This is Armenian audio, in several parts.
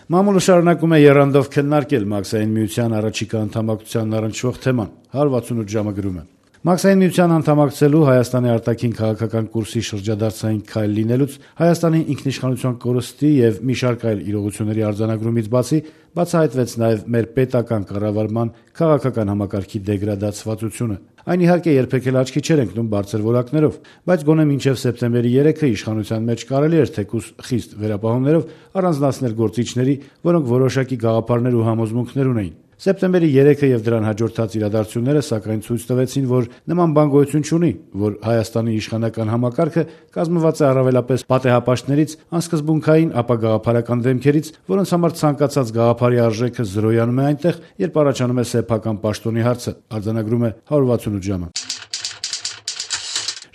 Մամուլը շարունակում է եռանդով քննարկել Մաքսային միության առաջիկա անդամակցությանն առնչվող թեման, 168 ժամը գրում է. Մաքսային միության անդամակցելու Հայաստանի արտաքին քաղաքական կուրսի շրջադարձային քայլ լինելուց, Հայաստանի ինքնիշխանության կորստի եւ մի շարք այլ իրողությունների արձանագրումից բացի, բացահայտվեց նաեւ մեր պետական կառավարման քաղաքական համակարգի դեգրադացվածությունը։ Այն իհարկե երբեք էլ աչքի չէր ընկնում բարձր որակներով, բայց գոնե մինչև սեպտեմբերի 3-ը իշխանության մեջ կարելի էր թեկուզ խիստ վերապահումներով առանձնացնել գործիչների, որոնք որոշակի գաղափարներ ու համոզմունքներ ունեին։ Սեպտեմբերի 3-ը եւ դրան հաջորդած իրադարձությունները սակայն ցույց տվեցին, որ նման բան գոյություն չունի, որ Հայաստանի իշխանական համակարգը կազմված է առավելապես պատեհապաշտներից, անսկզբունքային ապագաղափարական դեմքերից, որոնց համար ցանկացած գաղափարի արժեքը զրոյանում է այնտեղ, երբ առաջանում է սեփական պաշտոնի հարցը, արձանագրում է 168 ժամը։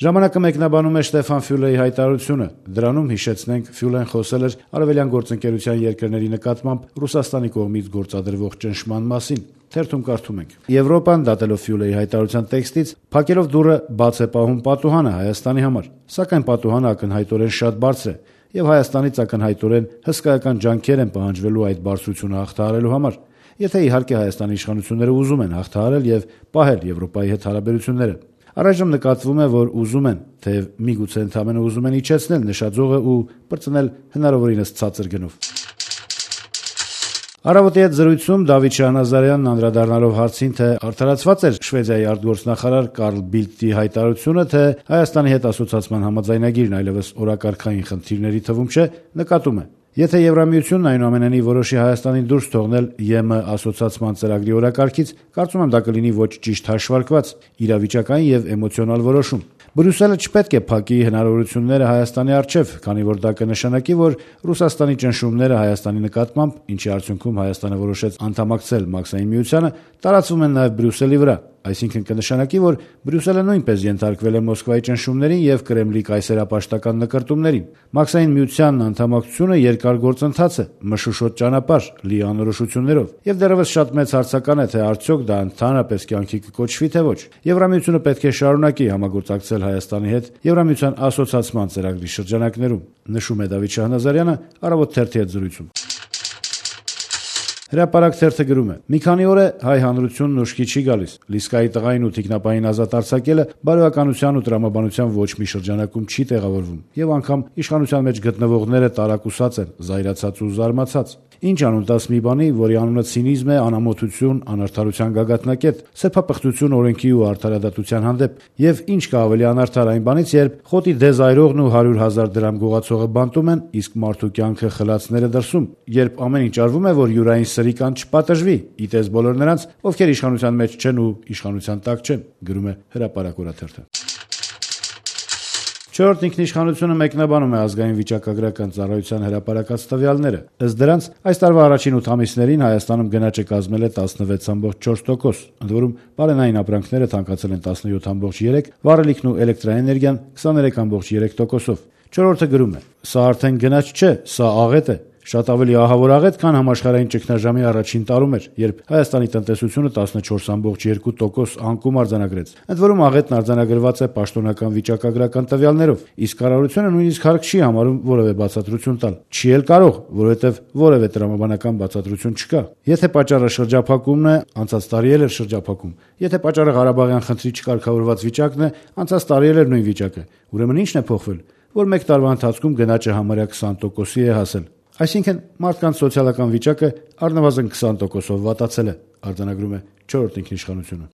Ժամանակը մեկնաբանում է Շտեֆան Ֆյուլեի հայտարարությունը։ Դրանում, հիշեցնենք, Ֆյուլեն խոսել էր արևելյան գործընկերության երկրների նկատմամբ Ռուսաստանի կողմից գործադրվող ճնշման մասին։ Թերթում կարդում ենք. Եվրոպան, դատելով Ֆյուլեի հայտարարության տեքստից, փակելով դուռը բաց է պահում պատուհանը Հայաստանի համար, սակայն պատուհանը ակնհայտորեն շատ բարձր է, եւ Հայաստանից ակնհայտորեն հսկայական ջանքեր են պահանջվելու այդ բարձրությունը հաղթահարելու համար, եթե իհարկե Հայաստանի իշխանությունները ուզում են հաղթահարել եւ պահել Եվրոպայի հետ հարաբերությունները։ Առայժմ նկատվում է, որ ուզում են, թեև միգուցե ընդամենը ուզում են իջեցնել նշաձողը ու բրծնել հնարավորինս ցածր գնով։ Առավոտի հետ զրույցում Դավիթ Շահնազարյանն անդրադառնալով հարցին, թե արդարացված էր Շվեդիայի արտգործնախարար Կարլ Բիլդտի հայտարարությունը, թե Հայաստանի հետ ասոցիացման համաձայնագիրն այլևս օրակարգային խնդիրների թվում չէ, նկատում է. Եթե Եվրամիությունն այնուամենայնիվ որոշի Հայաստանին դուրս թողնել ԵՄ ասոցիացման ծրագրի օրակարգից, կարծում եմ դա կլինի ոչ ճիշտ հաշվարկված, իրավիճակային եւ էմոցիոնալ որոշում։ Բրյուսելը չպետք է փակի հնարավորությունները Հայաստանի առջև, քանի որ դա կնշանակի, որ Ռուսաստանի ճնշումները Հայաստանի նկատմամբ, ինչի արդյունքում Հայաստանը որոշեց անդամակցել Մաքսային միությանը, տարածվում են նաեւ Բրյուսելի վրա։ Այսինքն կնշանակի, որ Բրյուսելը նույնպես ենթարկվել է Մոսկվայի ճնշումներին եւ Կրեմլի կայսերապաշտական նկրտումներին։ Մաքսային միությանն անդամակցությունը երկար գործընթաց է, մշուշոտ ճանապարհ, լի անորոշություններով, եւ դեռևս շատ մեծ հարցական է, թե արդյոք դա ընդհանրապես կյանքի կկոչվի, թե ոչ։ Եվրամիությունը պետք է շարունակի համագործակցել Հայաստանի հետ Եվրամիության ասոցիացման ծրագրի շրջանակներում, նշում է Դավիթ Շահնազարյանը Առավոտ թերթի հետ զրույցում։ Հրապարակ թերթը գրում է. մի քանի օր է հայ հանրությունն ուշքի չի գալիս։ Լիսկայի տղային ու թիկնապային ազատ արձակելը բարոյականության ու տրամաբանության ոչ մի շրջանակում չի տեղավորվում, եւ անգամ իշխանության մեջ գտնվողները տարակուսած են, զայրացած ու զարմացած։ Ինչ անունտաս մի բանի, որի անունը ցինիզմ է, անամոթություն, անարդարության գագաթնակետ, սեփապղծություն օրենքի ու արդարադատության հանդեպ, եւ ինչ կա ավելի անարդար այն բանից, երբ խոտի դեզայրողն ու 100,000 դրամ գողացողը բանտում են, իսկ մարդու կյանքը խլացները դրսում, երբ ամեն ինչ արվում է, որ յուրային սրիկան չպատժվի, իտես բոլոր նրանց, ովքեր իշխանության մեջ չեն ու իշխանության տակ չեն, գրում է Հրապարակ օրաթերթը։ Չորրորդ ինքնիշխանությունը մեկնաբանում է ազգային վիճակագրական ծառայության հրապարակած տվյալները։ Ըստ դրանց, այս տարվա առաջին 8 ամիսներին Հայաստանում գնաճը կազմել է 16.4%, ընդ որում բարենային ապրանքները թանկացել են 17.3%, վառելիքն ու էլեկտրաէներգիան 23.3%-ով։ Չորրորդը գրում է. սա արդեն գնաճ չէ, սա աղետ է։ Շատ ավելի ահավոր աղետ, քան համաշխարհային ճգնաժամի առաջին տարում էր, երբ Հայաստանի տնտեսությունը 14.2% անկում արձանագրեց։ Ընդ որում աղետն արձանագրված է պաշտոնական վիճակագրական տվյալներով, իսկ կառավարությունը նույնիսկ հարկ չի համարում որևէ բացատրություն տալ։ Չի էլ կարող, որովհետև որևէ տրամաբանական բացատրություն չկա։ Եթե պատճառը շրջափակումն է, անցած տարի էլ էր շրջափակում։ Եթե պատճառը Ղարաբաղյան խնդրի չկարգավորված վիճակն է, անցած տարի էլ էր նույն վիճակը։ Ուրեմն ի՞նչն է փոխվել, որ մեկ տարվա ընթացքում գնաճը համարյա 20%-ի է հասել։ Այսինքն մարդկանց սոցիալական վիճակը առնվազն 20%-ով վատացել է, արձանագրում է չորրորդ ինքնիշխանությունը։